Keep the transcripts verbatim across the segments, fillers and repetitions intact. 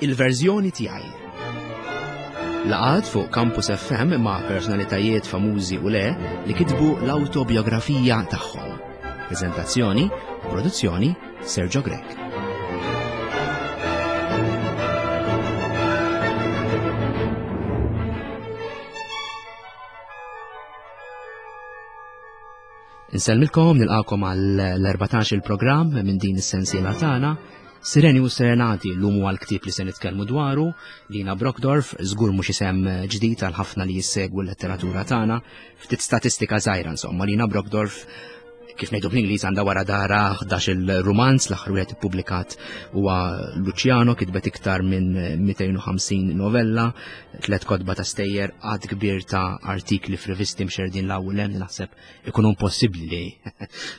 Il-verżjoni tiegħi. Laqgħat fuq Campus F M ma' personalitajiet famużi u le li kitbu l-autobiografija tagħhom. Prezentazzjoni u produzzjoni, Sergio Grech. Insellmilkom, nilqakom għall-erbatax il-programm minn din is-sensiela tagħna. Sireni u Serenati l-lum huwa l-ktieb li se nitkellmu dwaru. Lina Brockdorff, żgur mhux isem ġdid għal ħafna li jissegwu l-letteratura tagħna. Ftit statistika żgħira insomma, Lina Brockdorff, kif ngħidu bl-Ingliż, għandha wara dara ħdax il-rumanz, l-aħħar wieħed ippubblikat huwa Luciano, kitbet iktar minn mitejn u ħamsin novella, tliet kotba ta' stejjer, għadd kbir ta' artikli f'rivisti mxerdin l-ewwel hemm li naħseb ikunu impossibbli li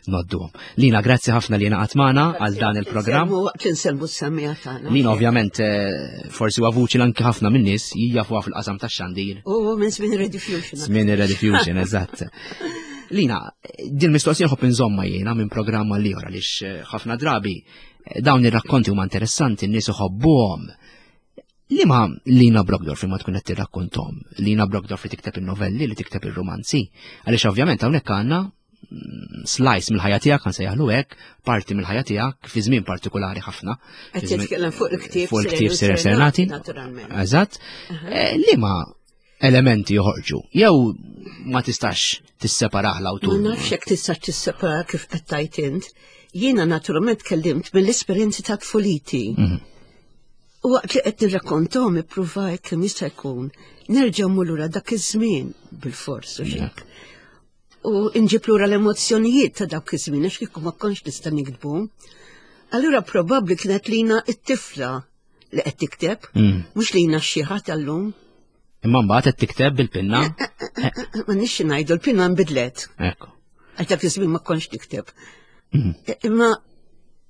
ngħodduhom. Lina, grazzi ħafna li ngħaqadt magħna għal dan il-programm. Waqt insellmu s-semmiegħa tagħna. Lina ovvjament eh, forsi huwa vuċi l anki ħafna min-nies jafuha fil-qasam tax-xandir. U minn żmien Rediffusion. Żmien ir-Rediffusion, eżatt. Lina, din mistoqsija nħobb inżomma jiena minn programma l ieħor għaliex eh, ħafna drabi eh, dawn ir-rakkonti huma interessanti, n-nies iħobbuhom. Lima Lina Brockdorff ma tkun qed tirrakkontom? Lina Brockdorff li tikteb in-novelli, li tikteb ir-romanzi. Għaliex ovvjament hawnhekk għandna mm, slice mill-ħajja tiegħek, kan sejjaħlu hekk, parti mill-ħajja tiegħek fi żmien partikolari ħafna. Qed titkellem fuq il-ktieb Fuq il-ktieb Sireni u Serenati. Naturalment. Eżatt. Eh, Liema elementi joħorġu? Jew ma tistax tisseparah Ma l-awtur? nafx jekk tista' tissepara kif qed tgħid int. Jiena naturalment tkellimt mill-esperjenzi ta' tfuliti. Mhm. U waqt li qed nirrakkontom ippruvajt kemm jista' jkun nerġa' mmur lura dak iż-żmien bil-fors u xek. U nġib lura l-emozzjonijiet ta' dak iż-żmien għax kieku ma kontx nista' niktbu. Allura probabbli kienet Lina it-tifla li qed tikteb, Mm. mhux Lina x-xiħa tal-lum. Imma mbagħad qed tikteb bil-pinna. Ma nix ngħidu, l-pinna nbidlet. Ekku. Għax dak iż-żmien ma kontx nikteb. Mhm. Imma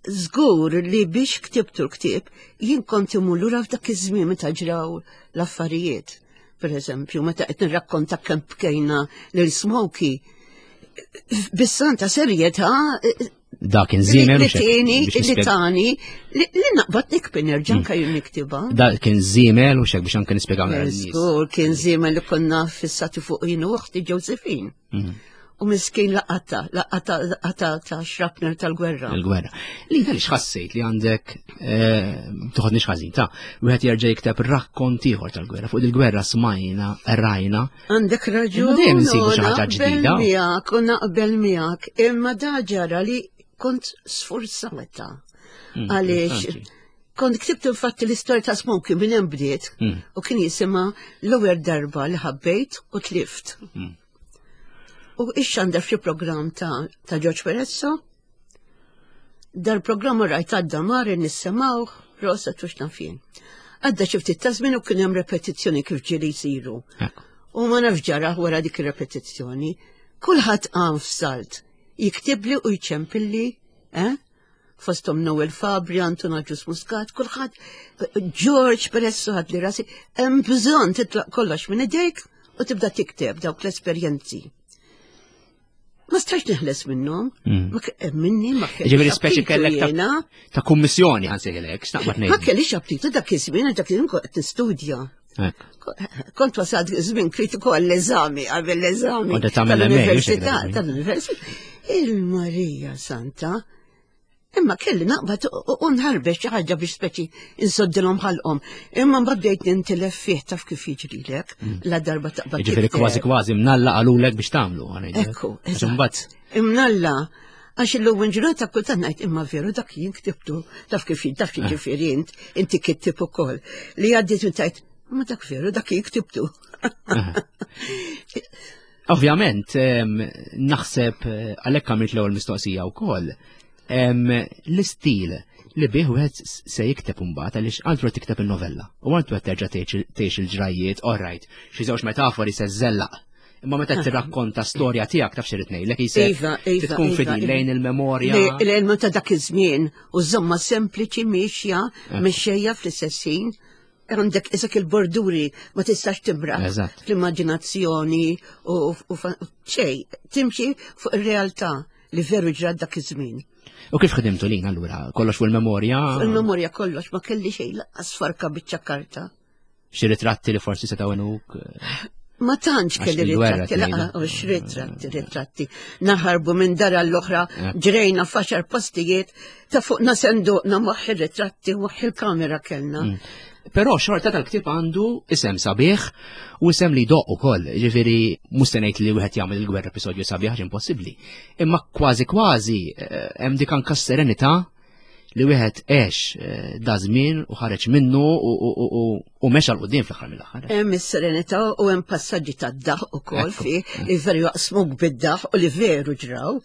żgur li biex ktibtu l-ktieb jien kont imur lura f'dak iż-żmien meta ġraw l-affarijiet. Per eżempju, meta qed nirrakkonta kemm bkejna lil Smokey, bis-santa serjetà Dak kien żiemel li u xek- tieni, biex li nispjeg- tani, li li naqbad nikbi nerġa' anke jien niktibha. Dak kien żiemel u xek biex anke nispjegaw lin-nies. Żgur kien żiemel li konna fissati fuq jien u uħti Josephine. Mhm. U miskin laqata, laqata, laqata ta' shrapnel tal-gwerra. Il-gwerra. Li għaliex ħassejt li għandek eh, toħodniex ħażin ta' wieħed jerġa' jikteb rakkont ieħor tal-gwerra. Fuq il-gwerra smajna, rajna. Għandek raġun. Imma dejjem insibu xi u ħaġa naqbel ġdida. miegħek, u naqbel miegħek, imma da ġara li kont sforzata. Mm, Għaliex interessanti. kont ktibt infatti l-istorja ta' Smokey minn hemm bdiet Mm. u kien jisimha L-ewwel darba li ħabbejt u tlift. Mm. U ixxandar f'xi programm ta' ta' George Perezzo. Dal-programm rajt għadda mar nissemgħu, rosa tux nafjen. Għadda xi ftit ta' żmien u kien hemm repetizzjoni kif ġieli jsiru. Ekku. U ma nafx ġara wara dik ir-repetizzjoni. Kulħadd qam f'salt. Jiktibli u jċempilli, eh? Fostom Noel Fabri, Anton Agius Muscat, kulħadd, George Perezzo ħad li rasi, hemm bżonn titlaq kollox minn idejk u tibda tikteb dawk l-esperjenzi. Ma stax neħles minnhom, Mm. ma ke- minni ma kellix Ġifieri speċi aptitu kellek ta' jiena. ta' kummissjoni ħansejlek, x'naqbad Ma ngħid. kellix aptitu dak iż-żmien, dak iż-żmien kont qed nistudja. Ekku. Kont wasalt żmien kritiku għall-eżami, qabel l-eżami. Kont qed tagħmel M A, Tal-università, mhux hekk? tal-università. Il-Marija Santa. Imma kelli naqbad u u nħarbex xi ħaġa biex speċi insoddilhom ħalqhom. Imma mbagħad bdejt nintilef fih, taf kif jiġrilek, la darba taqbad Ġifieri tikteb. kważi kważi mnalla qalulek biex tagħmlu. ħa ngħidlek. Ekku, Għax eżatt. imbagħad Imnalla, għax illum ġurnata kultant ngħid imma veru dak jien ktibtu, taf kif taf kif ġifieri int, inti kittib ukoll. Li għaddiet minn tajt, ma dak veru dak jien ktibtu. Ovvjament, em, naħseb eh, għalhekk għamilt l-ewwel mistoqsija wkoll. em, L-istil li bih wieħed se jikteb imbagħad, għaliex għandu qed tikteb il-novella u għandu qed terġa' tgħix tgħix il-ġrajiet, alright, xi żewġ metafori se żżellaq. Imma meta tirrakkonta storja tiegħek, taf x'irid ngħidlek, jisek Iva, iva, tkun iva, fidil iva. lejn il-memorja. L-elmu ta' dak iż-żmien u żomma sempliċi miexja, mexxejja fl-istess ħin. Għandek isak il-borduri ma tistax timraħ Eżatt. fl-immaġinazzjoni u u fa- xej, timxi fuq ir-realtà li veru ġrat dak iż-żmien. U kif ħdimtu lin allura? Kollox fuq il-memorja? Fuq il-memorja kollox, ma kelli xejn lanqas farka biċċa karta. Xi ritratti li forsi setgħu għenuk? Ma tantx Għax kelli il-gwerra ritratti, tgħidu. laqa, u ritratti, ritratti. Naħarbu minn dar l-oħra, Eh. ġrejna f'għaxar postijiet, ta' fuqna senduqna moħħ ir-ritratti, moħħ il-kamera kellna. Mm. Però xorta tal-ktieb għandu isem sabiħ u isem li doq ukoll. Ġifieri mhux se ngħid li wieħed jagħmel il-gwerra episodju sabiħ għax impossibbli. Imma kważi kważi eh, hemm dik anka serenità li wieħed għex eh, da żmien u ħareġ minnu u- u- u- u- u mexa 'l quddiem fl-aħħar mill-aħħar. Hemm is-serenità u hemm passaġġi tad-daħ ukoll Ekku. fi li veru jaqsmuk bid-daħ u li veru ġraw.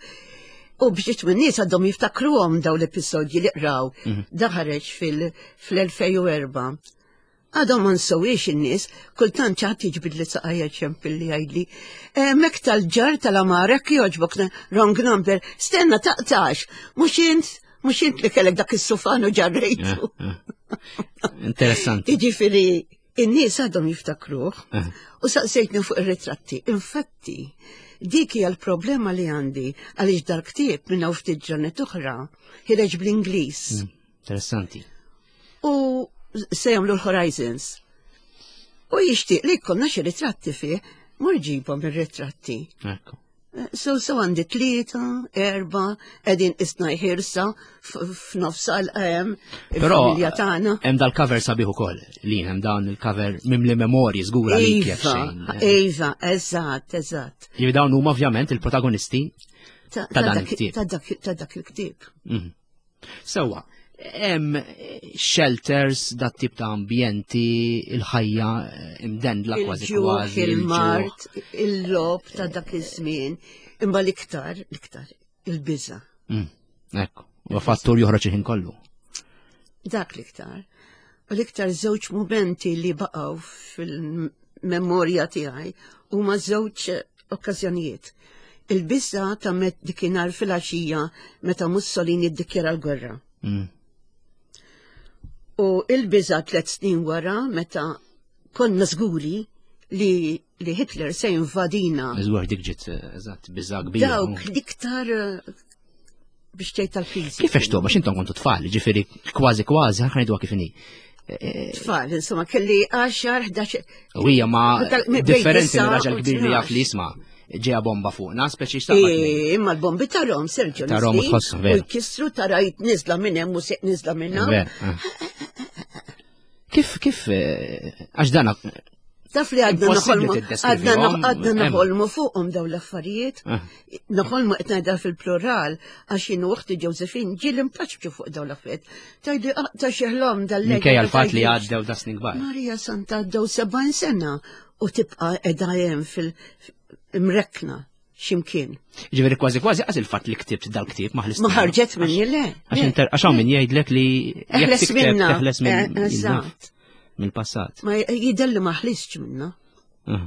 U biex minn nies għadhom jiftakruhom daw l-episodji li qraw. Da ħareġ fil- fl-elfejn u erbgħa. Għadhom ma nsewwiex in-nies, kultant ċaħat jiġbid li saqajja ċempilli jgħidli. Mek tal-ġar tal-amarek jogħġbok, wrong number, stenna taqtax, mhux int, mhux int li kellek dak is-sufan u ġarrejtu. Interessanti. Jiġifieri, in-nies għadhom jiftakruh Eh. u saqsejtni fuq ir-ritratti. Infatti, dik hija l-problema li għandi għaliex dal-ktieb minn hawn ftit ġranet oħra ħireġ bl-Ingliż. Interessanti. U se jagħmlu l-Horizons. U jixtieq li jkollna xi ritratti fih, mur ġibhom ir-ritratti. Ekku. So, so għandi tlieta, erba, qegħdin isna jħirsa f'nofs għal-qem, Però il-familja tagħna. hemm dal-cover sabiħ ukoll. Li hemm dawn il-cover mimli memorji żgura li kif Iva, xejn. iva, eżatt, eżatt. Jiġifieri dawn huma ovvjament il-protagonisti Ta' Ta' dan dak- il-ktieb. Ta' dak ta' dak il-ktieb. Mhm. Sewwa, hemm shelters, dat tip ta' ambjenti, il-ħajja eh, imdendla kważi Il-ġuħ, kważi. il-mard, il-logħob ta' dak iż-żmien, imma l-iktar, l-iktar, il-biża. Mm, Ekku, u fattur joħroġ il-ħin kollu. Dak l-iktar. U l-iktar żewġ momenti li baqgħu fil-memorja tiegħi huma żewġ okkażjonijiet. Il-biża ta' met dikinhar fil-għaxija meta Mussolini ddikjara l-gwerra. Mm. U il-biża tliet snin wara meta konna żguri li, li Hitler se jinvadina. Żgur dik ġiet, eh, eżatt, biża kbira. Dawk l-iktar eh, biex tgħid tal-kriżi. Kif għextu, għax intom kontu tfal, ġifieri kważi kważi, ħa ngħidu kif inhi. Tfal, insomma, kelli għaxar, ħdax. U hija ma Tal- bejn differenti disa minn raġel u kbir li jaf li jisma' ġeja bomba fuqna, speċi xtaqbad. Eh, Imma l-bombi tarahom, Sergio. Tarahom u nizlin, tħosshom, veru. U jkissru tara jitnizla minn hemm u seq nizla minn hawn. Ver, eh. Kif, kif, eh, għax dana, Taf li għadna Impossibbli noħolmu, tiddeskrivihom, għadna għadna hemm. noħolmu fuqhom daw l-affarijiet. Eh. Noħolmu qed ngħidha fil-plural għax jien u uħti Josephine ġieli mpaċċu fuq daw l-affarijiet. Tgħidli ta' xi ħlom dal-lejl. minkejja l-fatt li għaddew da snin kbar. Marija Santa għaddew sebgħin sena u tibqa' qiegħda hemm fil-imrekna x'imkien. Ġifieri kważi kważi għax il-fatt li ktibt dal-ktieb ma ħlist. Ma ħarġet minni le. Għax inter- għax hawn min jgħidlek li jekk Eħles tikteb minna. teħles minn Eh, eżatt. mill-passat. Ma jidelli ma ħlistx minna. Ah.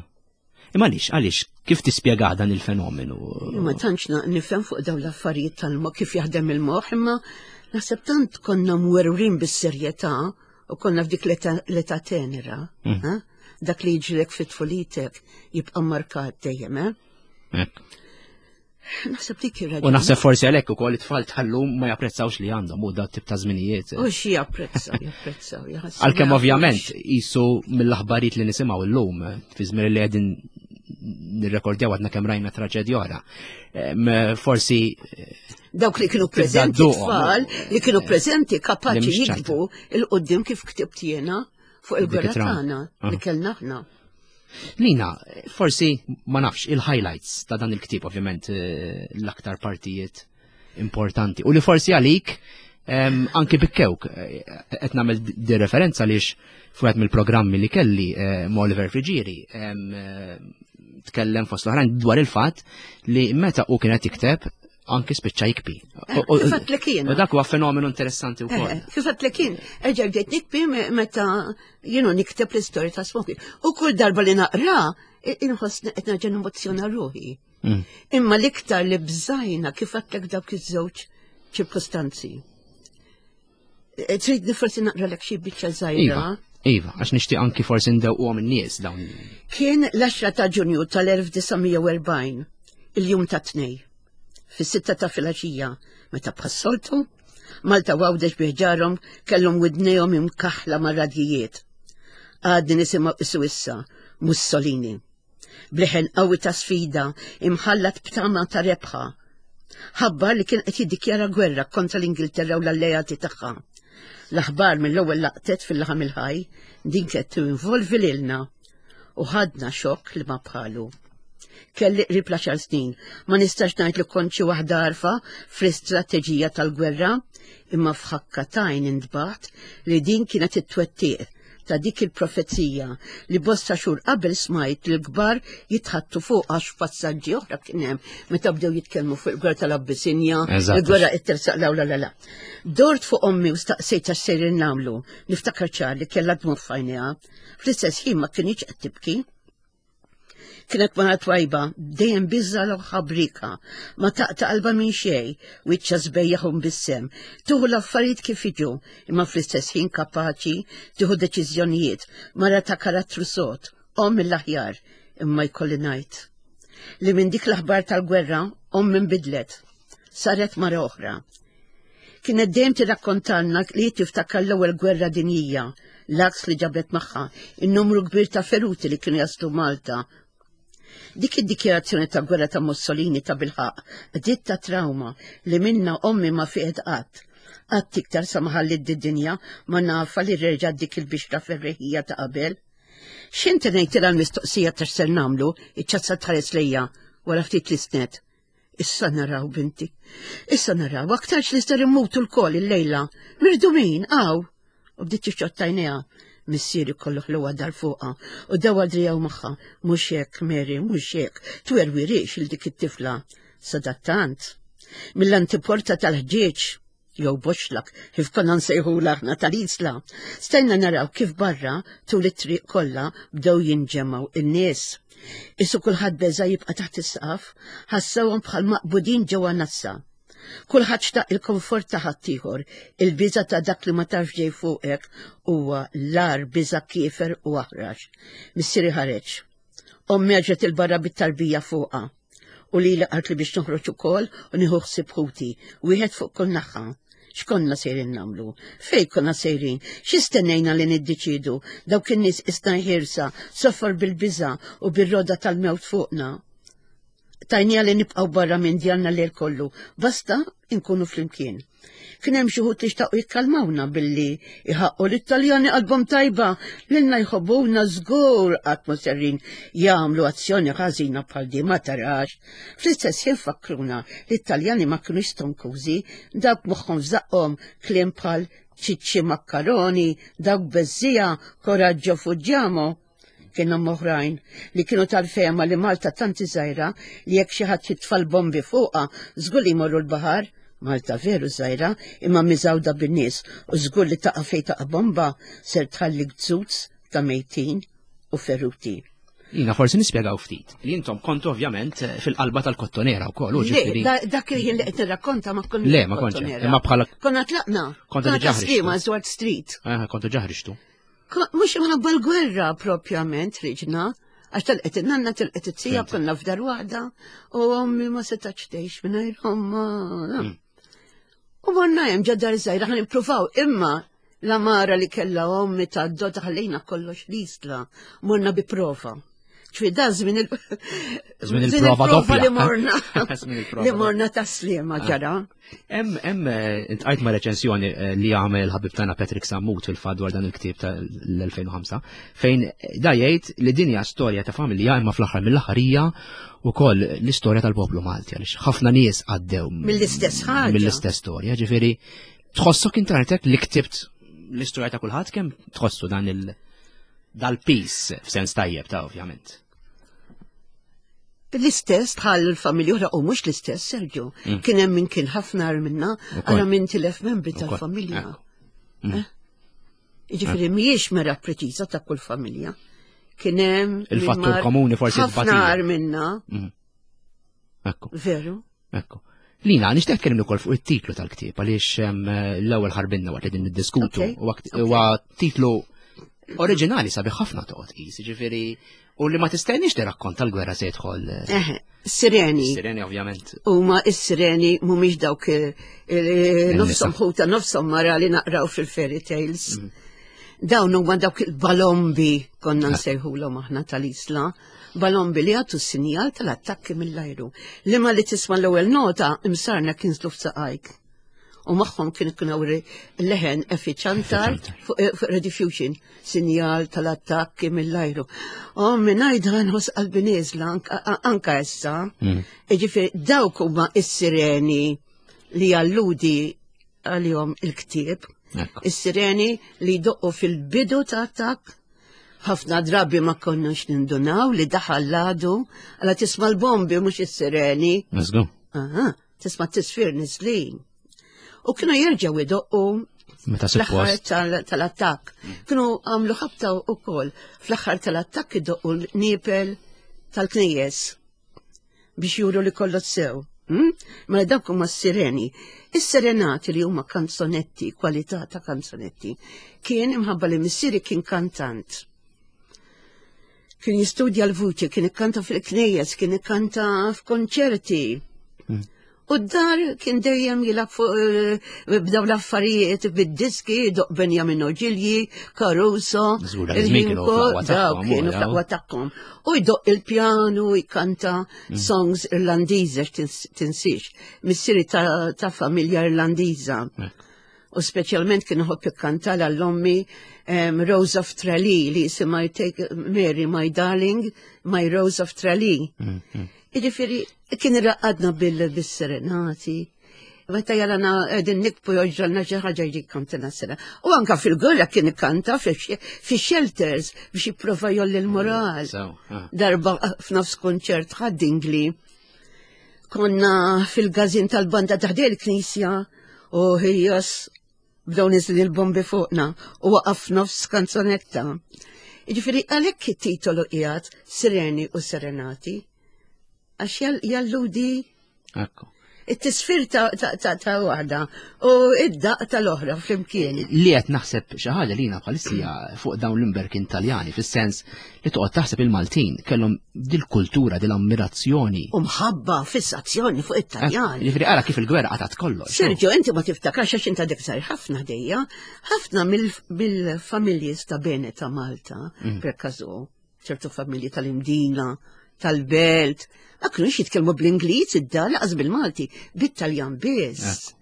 Imma għaliex, għaliex, kif tispjega dan il-fenomenu? Ma tantx na- nifhem fuq dawn l-affarijiet tal-moħħ kif jaħdem il-moħħ, imma naħseb tant konna mwerwrin bis-serjetà u konna f'dik l-età l-età tenera. Mm. eh? Dak li jiġrilek fit-tfulitek jibqa' markat dejjem, eh? Ekk. Naħseb dik ir U naħseb forsi għalhekk ukoll it-tfal tal-lum ma japprezzawx li għandhom u dat tip ta' żminijiet. U xi japprezzaw, japprezzaw, jaħassu. Għalkemm ovvjament jisu mill-aħbarijiet li nisimgħu illum fi żmien li qegħdin nirrekordjaw għadna kemm rajna traġedja oħra. Em, Forsi Dawk li kienu Tibda preżenti dduqhom, tfal, li kienu preżenti Li kapaċi mhix ċajta. jiktbu il-qoddim kif ktibt jiena fuq il-gwerra Dik it-trauma. tagħna Ah. li kellna aħna. Lina, forsi ma nafx il-highlights ta' dan il-ktieb ovvjament eh, l-aktar partijiet importanti. U li forsi għalik em, anki bikkewk, eh, qed nagħmel di referenza għaliex fuq mill-programmi li kelli eh, ma' Oliver Friġieri em, eh, tkellem fost l-oħrajn dwar il-fatt li meta u kienet jikteb anki spiċċa jikbi. U- u- Kif għedtlek jiena. U dak huwa fenomenu interessanti wkoll. Eh, Kif għedtlek jien, erġa' bdejt nikbi me- meta jienu nikteb l-istorja ta' Smoky. U kull darba li naqra, i- inħoss qed nerġa' nemozzjona ruħi. Mm. Imma l-iktar li bżajna kif għedtlek dawk iż-żewġ ċirkostanzi. Eh, Trid forsi naqra lek xi biċċa żgħira. Iva, iva, għax nixtieq anki forsi ndewquhom in-nies dawn. Kien l-għaxra ta' Ġunju tal-elf disa' mija u erbgħin, il-jum ta' tnej. fis-sitta ta' filgħaxija, meta bħas-soltu, Malta u Għawdex bi ħġarhom kellhom widnejhom imkaħħla mar-radjijiet. Għadni nisimgħu qisu issa Mussolini. B'leħen qawwi ta' sfida imħallat b'tama ta' rebħa. Ħabbar li kien qed jiddikjara gwerra kontra l-Ingilterra u l-alleati tagħha. L-aħbar mill-ewwel laqtet fil-laħam il-ħaj, din kienet tinvolvi lilna u ħadna xokk li ma bħalu. Kelli qrib l-għaxar snin, ma nistax ngħid li kont xi waħda għarfa fl-istrateġija tal-gwerra, imma f'ħakka t'għajn intbaħt li din kienet it-twettiq ta' dik il-profezija li bosta xhur qabel smajt li l-kbar jitħattu fuq għax passaġġi oħra kien hemm meta bdew jitkellmu fuq il-gwerra tal-Abbisinja, Eżatt. il-gwerra qed tersaq la la la la. Dort fuq ommi u staqsejt għax sejrin nagħmlu. Niftakar ċar li kellha dmugħ f'għajnejha. Fl-istess ħin ma kinitx qed tibki. Kienet mara twajba, dejjem biża l ħabrika, ma taqta' qalba minn xejn, wiċċha sbejjaħ u mbissem. Tieħu l-affarijiet kif jiġu, imma fl-istess ħin kapaċi tieħu deċiżjonijiet, mara ta' karattru sod, omm mill-aħjar, imma jkolli ngħid. Li minn dik l-aħbar tal-gwerra, ommi nbidlet, saret mara oħra. Kienet dejjem tirrakkontalna li tiftakar l-ewwel gwerra dinjija, l-għaks li ġabet magħha, in-numru kbir ta' feruti li kienu jaslu Malta. Dik id-dikjarazzjoni ta' gwerra ta' Mussolini ta' bilħaqq, bdiet ta' trauma li minna ommi ma fieqet qatt. Qatt iktar sa ma ħalliet d-dinja ma nafha li reġgħet dik il-bixra ferreħija ta' qabel. X'inti ngħidilha l-mistoqsija ta' x'ser nagħmlu, iċ-ċazza tħares lejja wara ftit li snet. Issa naraw, binti. Issa naraw, aktarx li ser immutu lkoll illejla. Mirdumin, għaw. U bdiet tixxotta għajnejha. Missieri kollu ħluwa dar fuqha u dawa drijaw magħha. Mhux hekk, Mary, mhux hekk. Twerwirix il dik it-tifla. Sadattant. Mill-antiporta tal-ħġieġ, jew boxlak, kif konna nsejħu aħna tal-Isla. Stajna naraw kif barra tul it-triq kollha bdew jinġemgħu in-nies. Isu kulħadd beża jibqa' taħt is-saqaf, ħassewhom bħal maqbudin ġewwa nassa. Kulħadd xtaq il-komfort ta' ħaddieħor, il-biża ta' dak li ma tafx ġej fuqek huwa l-agħar biża kiefer u aħrax. Missieri ħareġ. Ommi ħarġet 'il barra bit-tarbija fuqha. U li qaltli biex noħroġ ukoll u nieħu ħsieb ħuti, wieħed fuq kull naħa. X'konna sejrin nagħmlu? Fej konna sejrin? X'istennejna li niddeċidu? Dawk in-nies isna ħirsa, sofor bil-biża u bir-roda tal-mewt fuqna. Tajnija li nibqgħu barra minn djarna lejl kollu, basta nkunu flimkien. Kien hemm xi wħud li xtaqu jikkalmawna billi iħaqqu l-Italjani qalbhom tajba lilna jħobbuna żgur qatt ma serrin jagħmlu azzjoni ħażina bħal di ma tarax. Fl-istess ħin fakkruna li l-Italjani ma kinux stonkużi, dawk moħħhom f'żaqqhom kliem bħal ċiċċi makkaroni, dawk beżżija, coraggio fuggiamo. Kienu oħrajn li kienu tal-fehma li Malta tanti żgħira li jekk xi ħadd jitfa' l-bombi fuqha żgur li jmorru l-baħar. Malta veru żgħira imma miżgħuda bin-nies u żgur li taqa' fejn taqa' bomba ser tħalli gzuz ta' mejtin u feruti. Jina forsi nispjegaw ftit. Li intom kontu ovvjament fil-qalba tal-Kottonera wkoll, u Le, ġifieri. da- dak il-ħin li qed nirrakkonta ma konna Le, ma kontx, imma bħala Konna tlaqna. Kontu Konna diġà ħriġtu. Sliema, Swart Street. Eh, kontu ġa ħriġtu. Ko- Mhux imħabba l-gwerra propjament ħriġna, għax telqet in-nanna telqet it-tija Fhimt. konna f'dar waħda u ommi ma setax tgħix mingħajr omma. Mm. U morna hemm ġo dar żgħira ħa nippruvaw imma l-għamara li kellha ommi ta' dota ħallejna kollox l-Isla, morna bi prova. ċwi da żmien il- Żmien il-prova doppja. li morna. Żmien il-prova Li morna ta' Sliema ġara. Hemm hemm eh, iltqajt ma' reċensjoni eh, li għamel il-ħabib tagħna Patrick Sammut fil-fatt dwar dan il-ktieb tal-elfejn u ħamsa fejn da jgħid li din hija storja ta' familja imma fl-aħħar mill-aħħar hija wkoll l-istorja tal-poplu Malti għaliex ħafna nies għaddew Mill-istess ħaġa. Mill-istess storja, ġifieri tħossok intartek li ktibt l-istorja ta' kulħadd kemm tħossu dan il dal-pis f'sens tajjeb ta' ovvjament. L-istess bħal familja oħra u mhux l-istess, Sergio. Mm. Kien hemm min kien ħafna agħar minna, Ukoll. ara min tilef membri Ukoll, tal-familja. ekku. Mm. Eh? Jiġifieri mhijiex mera preċiża ta' kull familja. Kien hemm min Il-fattur mar komuni forsi ħafna tbatija. agħar minna, Mm. Ekku. veru. Ekku. Lina, nixtieq tkellimni wkoll fuq it-titlu tal-ktieb għaliex em, l-ewwel ħarbinna waqt li din niddiskutu. Ok, Huwa kt- Huwa titlu Oriġinali sabiħ ħafna toqgħod qis, ġifieri u li ma tistennix li rakkonta l-gwerra se jidħol. Eh, sireni. Sireni ovvjament. Huma is-sireni mhumiex dawk nofshom ħuta nofshom mara li naqraw fil-fairy tales. Mm. Dawn huma dawk il-balombi konna nsejħulhom aħna tal-Isla, balombi li għatu sinjal tal-attakki mill-ajru. Li ma li tisma' l-ewwel nota imsarna kien f'saqajk. U magħhom kien ikun leħen effiċantar fuq eh, Rediffusion, sinjal tal-attakki mill-ajru. U minn nħoss qalbi nieżla anka issa. Mm. Ġifieri dawk huma is-sireni li jalludi għalihom il-ktieb. Is-sireni li jdoqqu fil-bidu ta' attakk ħafna drabi ma konniex nindunaw li daħal l-għadu għala tisma' l-bombi mhux is-sireni. Aha, tisma' t-tisfir niżlin. U kienu jerġgħu idoqqu fl-aħħar tal-attakk. Kienu għamlu ħabta wkoll fl-aħħar tal-attakk idoqqu l-nipel tal-knejjes biex juru li kollox sew. Hmm? Mela dawk huma s-sireni. Is-serenati li huma kanzonetti, kwalità ta' kanzonetti, kien imħabba li missieri kien kantant. Kien jistudja l-vuċi, kien ikkanta fil-knejjes, kien ikkanta f'konċerti. Hmm. U d-dar kien dejjem jilgħab fuq eh, b'daw l-affarijiet bid-diski, doq Benjamin Ogilji, Caruso, dawk kienu fl-aqwa tagħhom. U jdoq il-pjanu, jkanta mm. songs Irlandiża tinsiex. Missieri ta' familja Irlandiża. U speċjalment kien iħobb ikkanta l-ommi Rose of Tralee li jisimha Take Mary My Darling, My Rose of Tralee. Mm, mm. Jiġifieri kien irraqqadna bil-serenati. Meta jarana qegħdin nikbu joġġalna xi ħaġa jiġi kantina sena. U anka fil-gwerra kien ikkanta fi-shelters biex jipprova jolli l-moral. Ah. Darba f'nofs konċert ħaddingli. Konna fil-gazin tal-banda taħdej il-knisja u ħijas bdew niżli l-bombi fuqna u waqaf nofs kanzonetta. Jiġifieri għalhekk it-titolu qiegħed Sireni u Serenati għax jalludi Ekku. It-tisfir ta' ta' waħda u id-daq tal-oħra flimkien. Li qed naħseb xi ħaġa li jiena bħalissija fuq dawn l-imberkin Taljani, fis-sens li toqgħod taħseb il-Maltin kellhom dil-kultura, dil-ammirazzjoni. U mħabba, fissazzjoni fuq it-Taljani. Jiġifieri ara kif il-gwerra qatgħet kollox. Sergio, inti ma tiftakarx għax inta dik żgħir ħafna ħdejja, ħafna mill-familji sta bene ta' Malta, mm. per każu, ċertu familji tal-Imdina, tal-Belt, ma kienux jitkellmu bl-Ingliż id-dar laqas bil-Malti, bit-Taljan biss.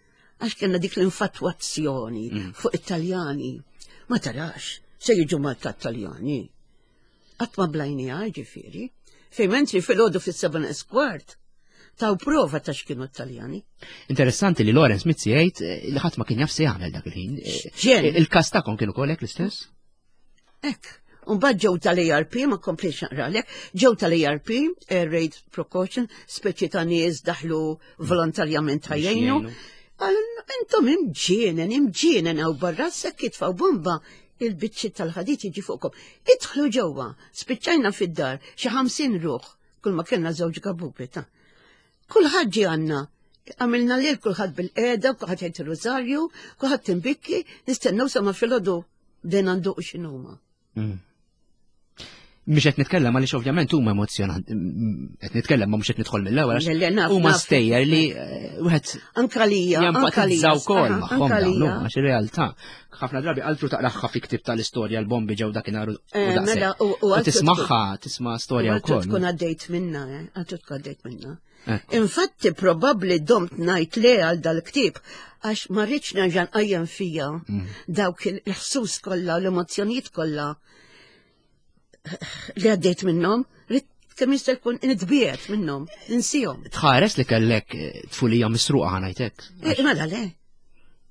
Għax kellna dik l-infatwazzjoni mm. fuq it-Taljani. Ma tarax, se jiġu Malta t-Taljani. Qatt ma blajniha ġifieri. Fejn mentri fil-għodu fis-seba' kwart taw prova ta' x'kienu t-Taljani. Interessanti li Lawrence Mizzi jgħid eh, li ħadd ma kien jaf se jagħmel dak il-ħin. Eh, il-każ tagħkom kienu kollek l-istess? Ek. Mbagħad ġew tal-ARP, ma komplejx naqralek, ġew tal-ARP, Air Raid Precaution, speċi ta' nies daħlu volontarjament ħajjejnu. Intom imġienen, imġienen għaw barra sekk jitfaw bomba il-biċċi tal-ħadid jiġi fuqkom. Idħlu ġewwa, spiċċajna fid-dar xi ħamsin ruħ, kull ma kellna żewġ gabubi ta'. Kulħadd ġie għandna, għamilna lil kulħadd bil-qeda, kulħadd jgħid ir-rużarju, kulħadd timbikki, nistennew sa ma filgħodu bdejna nduqu x'inhuma. Mm. Mhux qed nitkellem għaliex ovvjament huma emozjonanti, qed nitkellem ma mhux qed nidħol mill-ewwel għax huma stejjer li eh, wieħed anka lija, anka wkoll magħhom dawn, għax ir-realtà ħafna drabi altru taqraħħa fi ktib tal-istorja l-bombi ġew dakinhar u eh, mela, u tismagħha, tisma' storja wkoll. Tkun għaddejt minna, eh, altru tkun għaddejt minna. Infatti probabbli domt ngħid le għal dal-ktieb għax ma rridx nerġa' nqajjem fija mm. dawk il-ħsus kollha u l-emozzjonijiet kollha li għaddejt minnhom, rrid kemm jista' jkun nitbiet minnhom, ninsihom. Tħares li kellek eh, tfulija misruqa ħanajtek. Eh, mela le.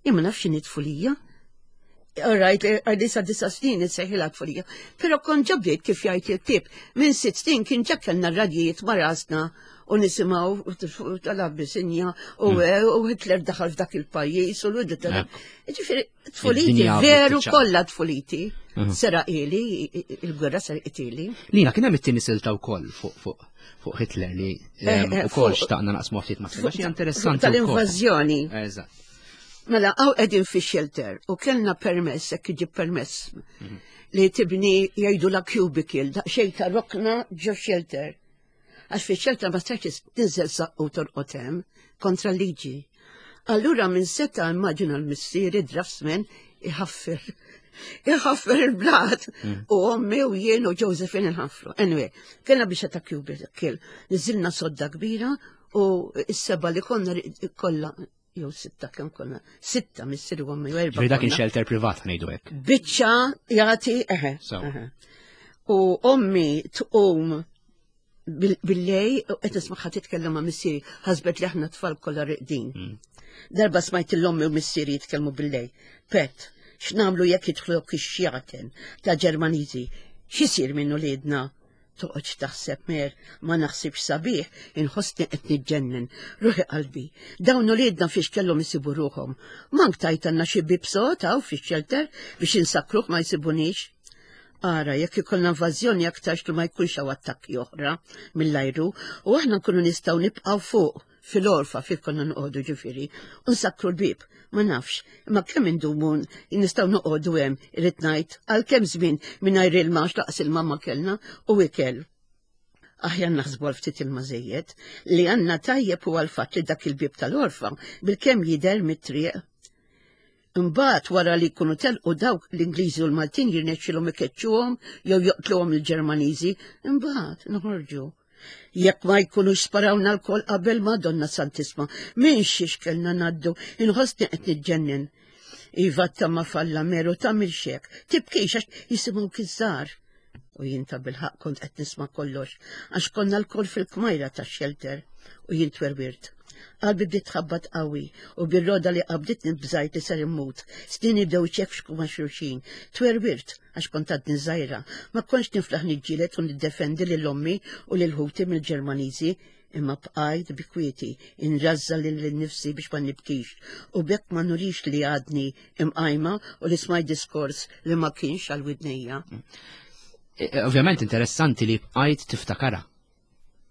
Jien ma nafx x'inhi tfulija. All right, eh, għal sa disa snin insejħilha tfulija. Però kont ġa bdejt kif jgħid il-ktieb. Minn sitt snin kien ġa kellna radjijiet ma' rasna u nisimgħu tal-Abbisinja u mm. u Hitler daħal f'dak il-pajjiż u l Ġifieri tfuliti, veru kollha tfuliti. Mhm. Seraqili, il-gwerra seraqili. Lina, kien hemm it-tieni silta wkoll fuq fuq fuq Hitler li eh, eh, ukoll xtaqna naqsmu ftit ma' xi interessanti. Tal-invażjoni. Eżatt. Mela, għaw qegħdin fi shelter u kellna permess, hekk iġib permess. Mhm. li tibni jgħidu la cubicle, daqsxejn ta' rokna ġo shelter. Għax fi shelter ma stax tinżel saqqu torqod hemm kontra l-liġi. Allura minn seta immaġina l-missieri draftsman iħaffer. Iħaffer il-blat. U ommi u jien u Josephine nħaffru. Anyway, kellna biex ta' cubicle. Niżilna sodda kbira u s-seba li konna kollha jew sitta kemm konna, sitta missieri u ommi u erba'. Ġifieri dak kien konna. shelter privat ngħidu hekk. Biċċa jagħti eħe. So. eħe. U ommi tqum bil- billejl u qed nismagħha titkellem ma' missieri, ħasbet li aħna tfal kollha reqdin. Darba smajt l-ommi u missieri jitkellmu billejl. Pet, x'nagħmlu jekk jidħlu ix-xjaten ta' Ġermaniżi? X'isir minn uliedna? Toqgħodx taħseb mer, ma naħsibx sabiħ, inħossni qed niġġennen. Ruħi qalbi, dawn uliedna fiex kellhom isibu ruħhom. Mank tajtanna xi bib sod hawn fix-shelter biex insakkruh ma jsibunix. Ara, jekk ikollna invażjoni aktarx li ma jkunx hawn attakki oħra mill-ajru, u aħna nkunu nistgħu nibqgħu fuq fil-għorfa fil konna noqogħdu ġifieri, u nsakkru l-bib, ma nafx, imma kemm indumu nistgħu noqogħdu hemm irrid ngħid għal kemm żmien mingħajr ilma għax laqas ilma ma kellna u ikel. Aħjar naħsbu għal ftit ilma żejjed li għandna tajjeb huwa l-fatt li dak il-bib tal-għorfa bilkemm jidher mit-triq. Imbagħad wara li jkunu telqu dawk l-Ingliżi u l-Maltin jirnexxilhom ikeċċuhom jew joqtluhom il-Ġermaniżi, imbagħad noħorġu. Jekk ma jkunux sparawna lkoll qabel Madonna Santisma, minn xiex kellna ngħaddu, inħossni qed niġġennen. Iva tamma falla meru tagħmilx hekk, tibkix għax jisimgħu kizzar. U jien ta' bilħaqq kont qed nisma' kollox, għax konna lkoll fil-kmajra tax-shelter u jien twerwirt. Qalbi bdiet tħabbat qawwi u bir-roda li qabditni bżajt li ser immut. Snieni bdew iċekxku ma' xulxin. Twerwirt għax kont għadni żgħira. Ma kontx niflaħ niġġieled u niddefendi lil ommi u lil ħuti mill-Ġermaniżi imma bqajt bi kwieti inrażżan lil nifsi biex ma nibkix u bekk ma nurix li għadni imqajma u li smajt diskors li ma kienx għal widnejja. E, e, Ovvjament interessanti li bqajt tiftakara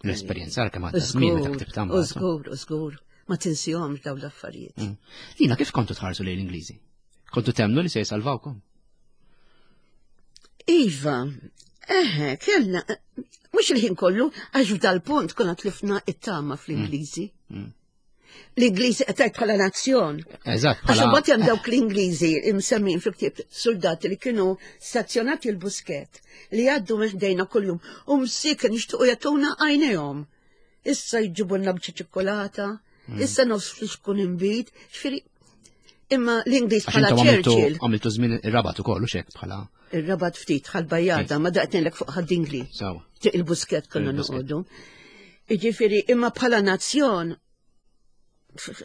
l-esperjenza għal kemm għadda żmien meta ktibtha U mbagħad. żgur, u żgur, ma tinsihomx dawn l-affarijiet. Mm. Lina, kif kontu tħarsu lejn l-Ingliżi? Kontu temnu li se jsalvawkom? Iva, eħe, kellna, mhux il-ħin kollu, għax f'dal-punt konna tlifna it-tama fl-Ingliżi. Mm. L-Ingliżi qed bħala nazzjon. Eżatt, Għax bħala imbagħad hemm dawk l-Ingliżi imsemmin fil-ktieb soldati li kienu stazzjonati l-Buskett li jgħaddu minn ħdejna kuljum u msiken jixtiequ jagħtuna għajnejhom. Issa jġibulna biċċa ċikkolata, issa nofs flixkun inbid, ġifieri imma l-Ingliż għax bħala intom għamiltu Churchill. għamiltu żmien ir-Rabat ukoll u xek bħala Ir-Rabat ftit Ħal Bajjada, ma daqtinlek fuq Ħad-Dingli. sawa. Triq il-Buskett konna Il-Buskett. noqogħdu. Iġifieri, imma bħala nazzjon,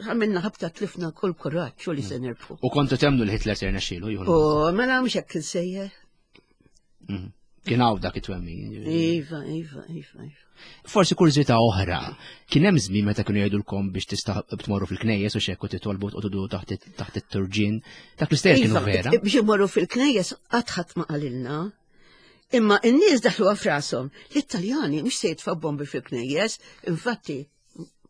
għamilna ħabta tlifna kull kuraġġ u li se nirbħu. U kontu temnu li Hitler se jirnexxielu jieħu U mela mhux hekk insejjer. Mhm. Kien hawn dak it-twemmin. Iva, iva, iva, iva. Forsi kurżità oħra, kien hemm żmien meta kienu jgħidulkom biex tista' tmorru fil-knejjes u xekk u titolbu tqogħdu taħt taħt it-turġien. Dak l-istejjer kienu Iva, vera. biex imorru fil-knejjes qatt ħadd ma qalilna. Imma n-nies daħlu f'rashom. L-Italjani mhux se jitfgħu bombi fil-knejjes, infatti,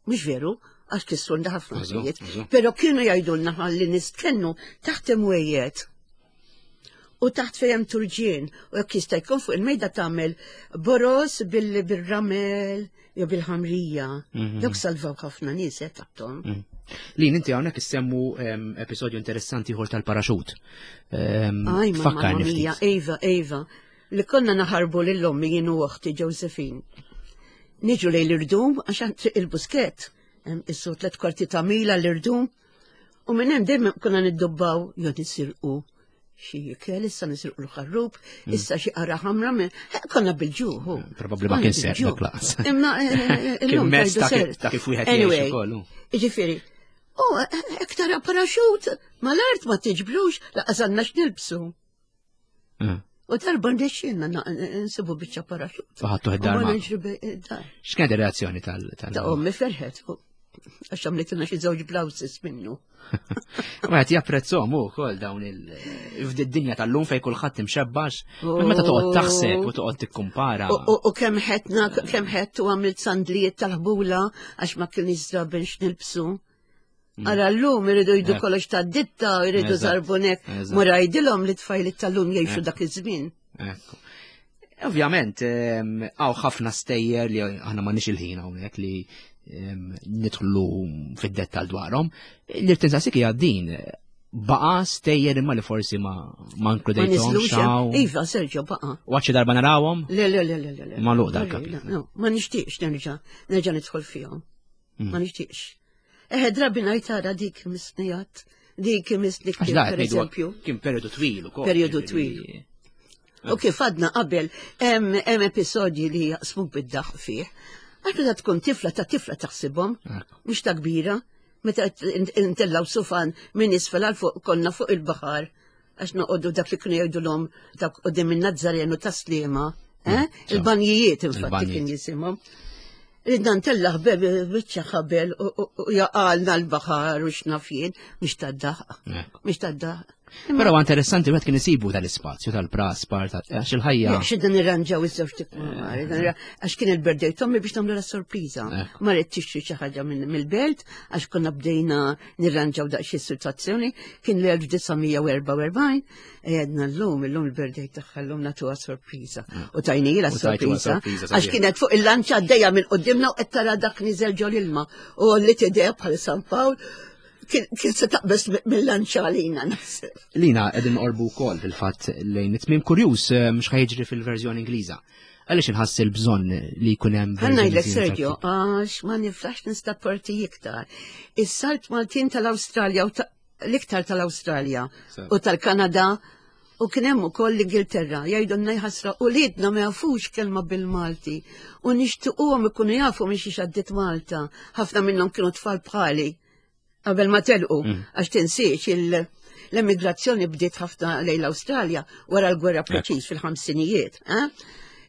mhux veru, għax kissrulna ħafna Eżatt, affarijiet. eżatt. Però kienu jgħidulna ħalli nistkennu taħt imwejjed. U taħt fejn turġien, u jekk jista' jkun fuq il-mejda tagħmel boros bil- bil-ramel jew bil-ħamrija. Mhm. Dawk salvaw ħafna nies eh, taħthom. Mm. Lin, inti hawnhekk issemmu em, episodju interessanti ieħor tal-paraxut. Em, Aj, mamma Fakkarni mia, ftit. Eva, Eva, li konna naħarbu lil ommi jien u oħti Josephine. Niġu lejn l-irdum għax triq il-Buskett, hemm issu tliet kwarti ta' mila l-irdum, u minn hemm dejjem konna niddubbaw jew nisirqu xi ikel, issa nisirqu l-ħarrub, issa xi qara ħamra minn eh, konna bil-ġuħ. hu. Probabbli ma Konna kien serq bil-ġuħ. dak laqas. Imma eh, eh, Kien illum mezz tajdu ta' kif- serq. ta' kif wieħed jgħix Anyway, ukoll, hu. Jiġifieri, u hekk tara paraxut mal-art ma tiġbrux laqas għandna x'nilbsu. Mm. U darba nrexxilna nsibu biċċa paraxut. U ħadtuh id-dar U ma ma' niġri be- dar. X'kienet ir-reazzjoni tal tal Ta' ommi ferħet. u Għax għamlitilna xi żewġ blouses minnu. Wieħed japprezzhom ukoll dawn il f'did-dinja tal-lum fejn kulħadd imxebbax. Meta toqgħod taħseb u toqgħod tikkumpara. U- U u kemm ħetna, kemm ħett u għamilt sandlijiet tal-ħbula għax ma kienx żraben x'nilbsu. Ara llum iridu jgħidu kollox ta' ditta, iridu żarbunek. Mur għidilhom li tfajliet tal-lum jgħixu dak iż-żmien. Ovvjament, hawn ħafna stejjer li aħna m'għandniex il-ħin hawnhekk li nidħlu fid-dettall dwarhom. Li tinsasik hija din baqa stejjer imma li forsi ma ma inkludejthomx. Iva, Sergio, baqa. U għadxi darba narawhom? Le, le, le, le, le. Ma luq dal-kapitlu. Ma nixtieqx nerġa' nerġa' nidħol fihom. Ma nixtieqx. Eħe, drabi ngħid ara dik misnijat, dik misnik, per eżempju. Kien periodu twil ukoll. Periodu twil. U kif għadna qabel, hemm episodji li jaqsmuk bid-daħq fih. Għax meta tkun tifla ta' tifla taħsibhom, mhux ta' kbira, meta intellaw sufan minn isfel għal fuq konna fuq il-baħar, għax noqogħdu dak li kienu jgħidulhom dak qudiem in-Nazzarenu ta' Sliema, il-banjijiet infatti kien jisimhom. Ridna ntellaħ biċċa ħabel u jaqalna l-baħar u x'naf jien, mhux tad-daħq. Mhux tad-daħq. Però interessanti wieħed kien isibu tal-ispazju tal-praspar għax il-ħajja. X'idna nirranġaw iż-żewġ tikmar, għax kien il-birthday tommi biex nagħmlu la sorpriża. Ma rrid tixtri xi ħaġa mill-belt għax konna bdejna nirranġaw daqsxejn is-sitwazzjoni, kien l-elf disa' mija u erbgħa u erbgħin, għedna llum, illum il-birthday tagħha llum nagħtuha sorpriża. U tajnila sorpriża għax kienet fuq il-lanċa għaddejja minn quddiemna u qed tara dak niżel ġol ilma u li tidher bħal San Pawl. Kien se taqbes mill-lanċa għalina naħseb. Lina, qegħdin noqorbu wkoll fil-fatt lejn it-tmiem kurjuż mhux ħajġri fil-verżjoni Ingliża. Għaliex inħass il-bżonn li jkun hemm Ħa ngħidlek Sergio, għax ma niflax nistapporti iktar. Is-salt Maltin tal-Awstralja u l-iktar tal-Awstralja u tal-Kanada u kien hemm ukoll l-Ingilterra jgħidulna jħassra u liedna ma jafux kelma bil-Malti u nixtiequhom ikunu jafu minn xiex għaddiet Malta. Ħafna minnhom kienu tfal bħali qabel ma telqu, għax tinsiex l-emigrazzjoni bdiet ħafna lejn l-Awstralja wara l-gwerra preċiż fil-ħamsinijiet.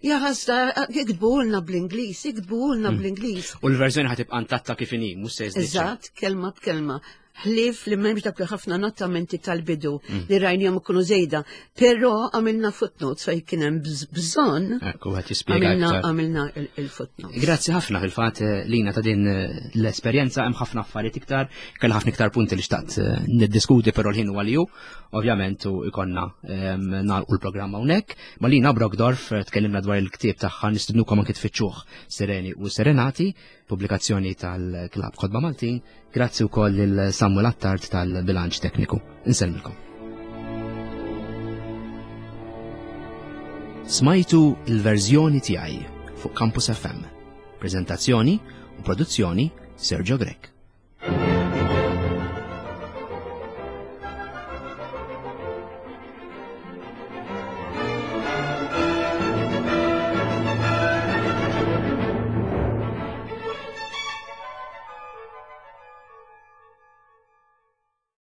Ja ħasra, iktbulna bl-Ingliż, iktbulna bl-Ingliż. U l-verżjoni ħa tibqa' intatta kif inhi, mhux se jiżdied. Eżatt, kelma b'kelma. Ħlief li m'hemmx dak li ħafna nottamenti tal-bidu li rajnihom ikunu żejda, però għamilna footnotes fejn kien hemm bżonn. Ekku qed jispjega aktar. Għamilna il-footnotes. Grazzi ħafna fil-fatt Lina ta' din l-esperjenza, hemm ħafna affarijiet iktar, kellha ħafna iktar punti li xtaqt niddiskuti, però l-ħin huwa li hu, ovvjament u ikonna nagħlqu l-programm hawnhekk. Ma Lina Brockdorff tkellimna dwar il-ktieb tagħha, nistednukom anke tfittxuh Sireni u Serenati, pubblikazzjoni tal-Klabb Kotba Maltin. Grazzi wkoll lil Samuel Attard tal-Bilanċ Tekniku. Insellmilkom. Smajtu il-verżjoni tiegħi fuq Campus F M. Prezentazzjoni u produzzjoni Sergio Grech.